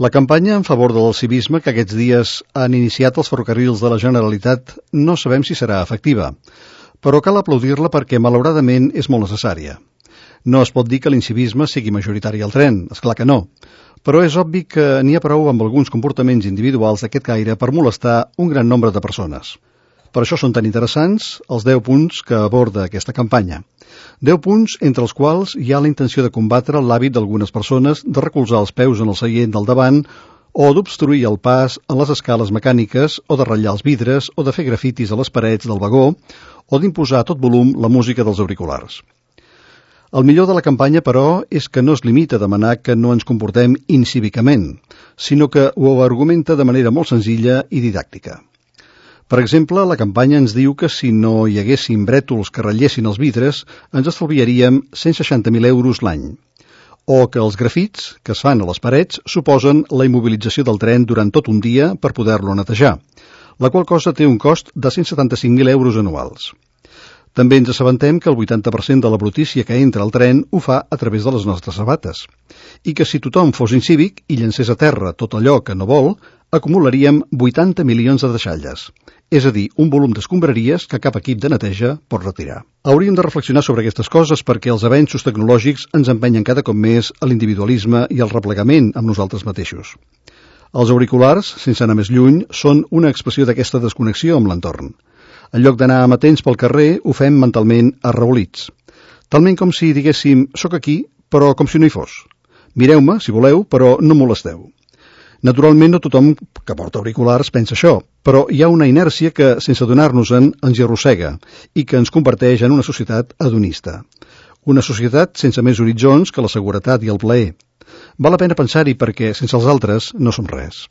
La campanya en favor del civisme que aquests dies han iniciat els ferrocarrils de la Generalitat no sabem si serà efectiva, però cal aplaudir-la perquè malauradament és molt necessària. No es pot dir que l'incivisme sigui majoritari al tren, és clar que no, però és obvi que n'hi ha prou amb alguns comportaments individuals d'aquest caire per molestar un gran nombre de persones. Per això són tan interessants els 10 punts que aborda aquesta campanya. 10 punts entre els quals hi ha la intenció de combatre l'hàbit d'algunes persones de recolzar els peus en el seient del davant o d'obstruir el pas en les escales mecàniques o de ratllar els vidres o de fer grafitis a les parets del vagó o d'imposar a tot volum la música dels auriculars. El millor de la campanya, però, és que no es limita a demanar que no ens comportem incívicament, sinó que ho argumenta de manera molt senzilla i didàctica. Per exemple, la campanya ens diu que si no hi haguessin brètols que ratllessin els vidres, ens estalviaríem 160.000 euros l'any. O que els grafits que es fan a les parets suposen la immobilització del tren durant tot un dia per poder-lo netejar, la qual cosa té un cost de 175.000 euros anuals. També ens assabentem que el 80% de la brutícia que entra al tren ho fa a través de les nostres sabates, i que si tothom fos incívic i llencés a terra tot allò que no vol, acumularíem 80 milions de deixalles, és a dir, un volum d'escombraries que cap equip de neteja pot retirar. Hauríem de reflexionar sobre aquestes coses perquè els avenços tecnològics ens empenyen cada cop més a l'individualisme i al replegament amb nosaltres mateixos. Els auriculars, sense anar més lluny, són una expressió d'aquesta desconnexió amb l'entorn. En lloc d'anar amatents pel carrer, ho fem mentalment arrabolits. Talment com si diguéssim, soc aquí, però com si no hi fos. Mireu-me, si voleu, però no molesteu. Naturalment, no tothom que porta auriculars pensa això, però hi ha una inèrcia que, sense adonar-nos-en, ens hi arrossega i que ens converteix en una societat hedonista. Una societat sense més horitzons que la seguretat i el plaer. Val la pena pensar-hi perquè, sense els altres, no som res.